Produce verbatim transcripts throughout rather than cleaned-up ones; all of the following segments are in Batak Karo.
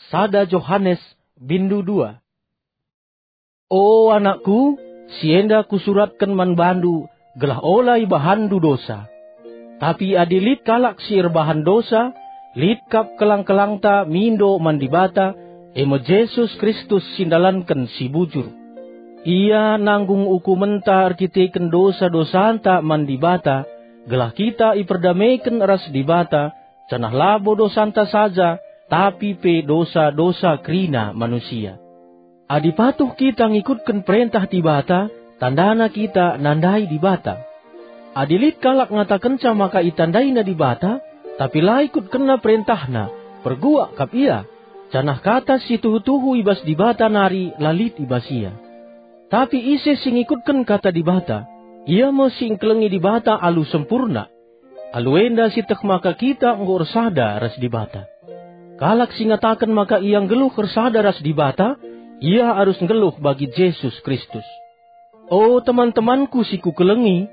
Sada Johanes, bindu dua. O anakku, si enda kusuratken man bandu, gelah ola ibahanndu dosa. Tapi adi lit kalak si erbahan dosa, lit kap kelang-kelangta mindo man Dibata, e me Jesus Kristus si ndalanken si bujur. Ia nanggung ukumenta erkiteken dosa-dosanta man Dibata, gelah kita iperdameken ras Dibata, janah labo dosanta saja, tapi pe dosa-dosa kerina manusia. Adi patuh kita ngikutken perentah Dibata, tandana kita nandai Dibata. Adi lit kalak ngatakenca maka itandaina Dibata, tapi la ikutkenna perentahNa, perguak kap ia, janah kata si tuhu-tuhu i bas Dibata nari la lit i bas ia. Tapi ise si ngikutken kata Dibata, ia me si engkelengi Dibata alu sempurna. Alu enda sieteh maka kita enggo ersada ras Dibata. Kalak si ngataken maka ia nggeluh ersada ras Dibata, ia arus nggeluh bagi Jesus Kristus. O teman-temanku si kukelengi,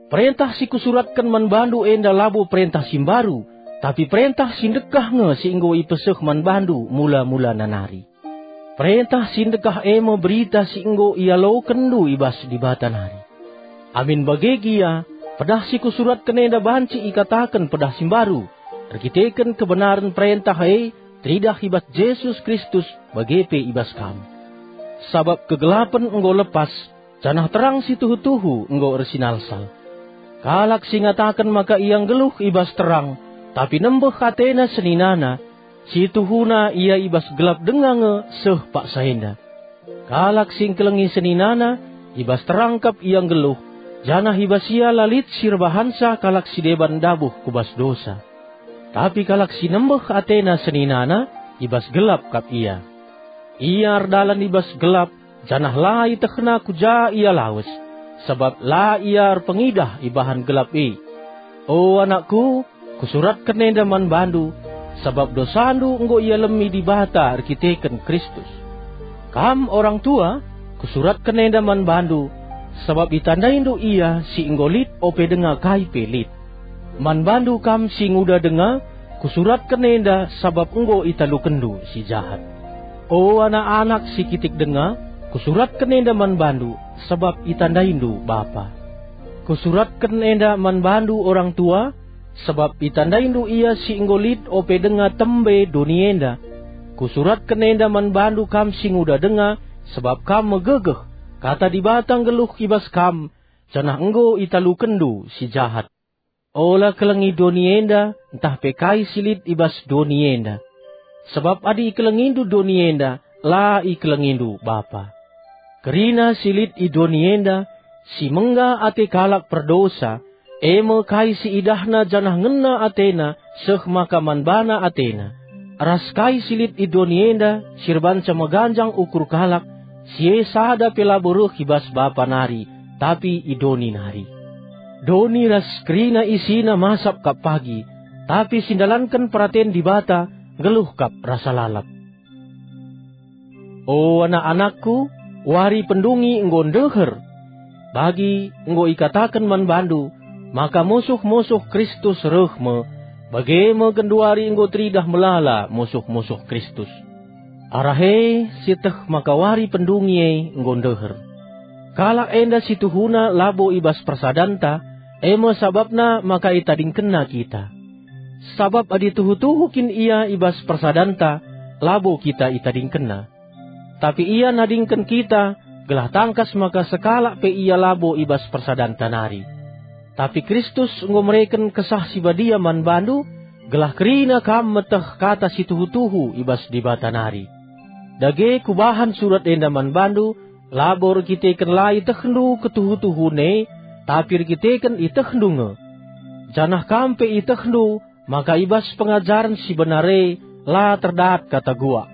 perentah si kusuratken man bandu enda labo perentah si mbaru, tapi perentah si ndekah nge si enggo ipeseh man bandu mula-mulana nari. Perentah si ndekah e me berita si enggo ialokenndu i bas Dibata nari. Amin bage gia, pedah si kusuratken enda banci ikataken pedah si mbaru, erkiteken kebenaren perentah e teridah i bas Jesus Kristus bage pe i bas kam. Sabap kegelapen enggo lepas, janah terang si tuhu-tuhu enggo ersinalsal. Kalak si ngataken maka ia nggeluh i bas terang, tapi nembeh atena seninana, si tuhuna ia i bas gelap denga nge seh paksa enda. Kalak si engkelengi seninana, i bas terang kap ia nggeluh, janah i bas ia la lit si erbahanca kalak si deban ndabuh ku bas dosa. Tapi kalak si nembeh atena seninana, i bas gelap kap ia. Ia erdalan i bas gelap, janah la ietehna ku ja ia lawes, sabap la ia erpengidah ibahan gelap e. O anakku, kusuratken enda man bandu, sabap dosandu enggo ialemi Dibata erkiteken Kristus. Kam orang tua, kusuratken enda man bandu, sabap itandaindu ia si enggo lit ope denga kai pe lit. Man bandu kam si nguda denga, kusuratken enda sabap enggo italukenndu si jahat. O anak-anak si kitik denga, kusuratken enda man bandu, sabap itandaindu bapa. Kusuratken enda man bandu orang tua, sabap itandaindu ia si enggo lit ope denga tembe doni enda. Kusuratken enda man bandu kam si nguda denga, sabap kam megegeh, kata Dibata nggeluh i bas kam, janah enggo italukenndu si jahat. Ola kelengi doni enda, ntah pe kai si lit i bas doni enda. Sabap adi ikelengindu doni enda, la ikelengindu Bapa. Kerina si lit i doni enda, si mengga ate kalak perdosa, e me kai si idahna janah ngena atena seh maka man bana atena, ras kai si lit i doni enda si erbanca meganjang ukur kalak, si e sada pe labo reh i bas Bapa nari, tapi i doni nari. Doni ras kerina isina masap kap pagi, tapi si ndalanken peraten Dibata nggeluh kap rasa lalap. O anak-anakku, wari pendungi enggo ndeher. Bagi enggo ikataken man bandu, maka musuh-musuh Kristus reh me, bage me genduari enggo teridah melala musuh-musuh Kristus. Arah e sieteh maka wari pendungi e enggo ndeher. Kalak enda si tuhuna labo i bas persadanta, e me sabapna maka itadingkenna kita. Sabap adi tuhu-tuhu kin ia i bas persadanta, labo kita itadingkenna. Tapi ia nadingken kita, gelah tangkas maka sekalak pe ia labo i bas persadanta nari. Tapi Kristus enggo mereken Kesah Si Badia man bandu, gelah kerina kam meteh kata si tuhu-tuhu i bas Dibata nari. Dage kubahan surat enda man bandu, labo erkiteken la ietehndu ketuhu-tuhun e, tapi erkiteken ietehndu nge. Janah kam pe ietehndu, maka i bas pengajaren si benar e la terdat kata guak.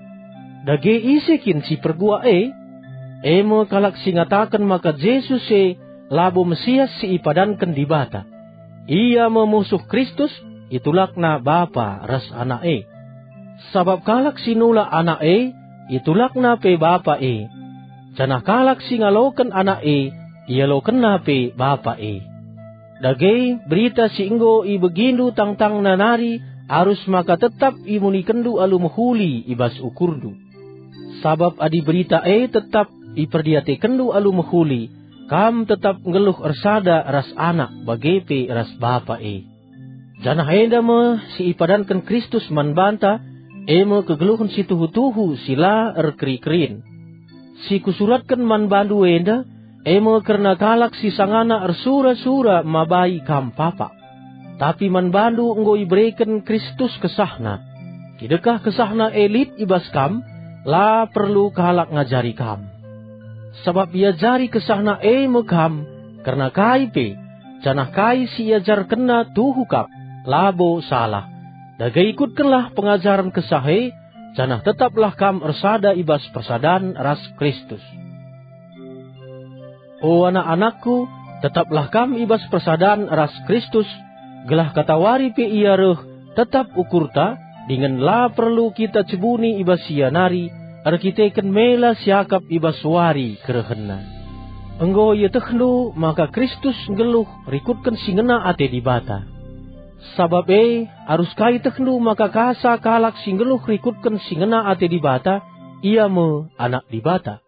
Dage ise kin si perguak e? E me kalak si ngataken maka Jesus e labo Mesias si ipadanken Dibata. Ia me musuh Kristus, itulakna Bapa ras Anak e. Sabap kalak si nulak Anak e, itulakna pe Bapa e. Janah kalak si ngaloken Anak e, ialokenna pe Bapa e. Dage, berita si enggo ibegindu tangtangna nari arus maka tetap imunikenndu alu mehuli i bas ukurndu. Sabap adi berita e tetap iperdiatekenndu alu mehuli, kam tetap nggeluh ersada ras Anak bage pe ras Bapa e. Janah enda me si ipadanken Kristus man banta, e me kegeluhen si tuhu-tuhu si la erkeri-kerin. Si kusuratken man bandu enda, e me kerna kalak si sangana ersura-sura mabai kam papak. Tapi man bandu enggo ibereken Kristus kesahna. Kidekah kesahna e lit i bas kam, la perlu kalak ngajari kam. Sabap iajari kesahna e me kam, kerna kai pe, janah kai si iajarkenna tuhu kap, labo salah. Dage ikutkenlah pengajaren kesah e, janah tetaplah kam ersada i bas persadan ras Kristus. O anak-anakku, tetaplah kam i bas persadan ras Kristus, gelah katawari pe Ia reh, tetap ukurta, dingen la perlu kita cebuni i bas Ia nari, erkiteken mela siakap i bas wari kerehenNa. Enggo ietehndu maka Kristus nggeluh rikutken si ngena ate Dibata. Sabap e, arus ka ietehndu maka kasa kalak si nggeluh rikutken si ngena ate Dibata, ia me anak Dibata.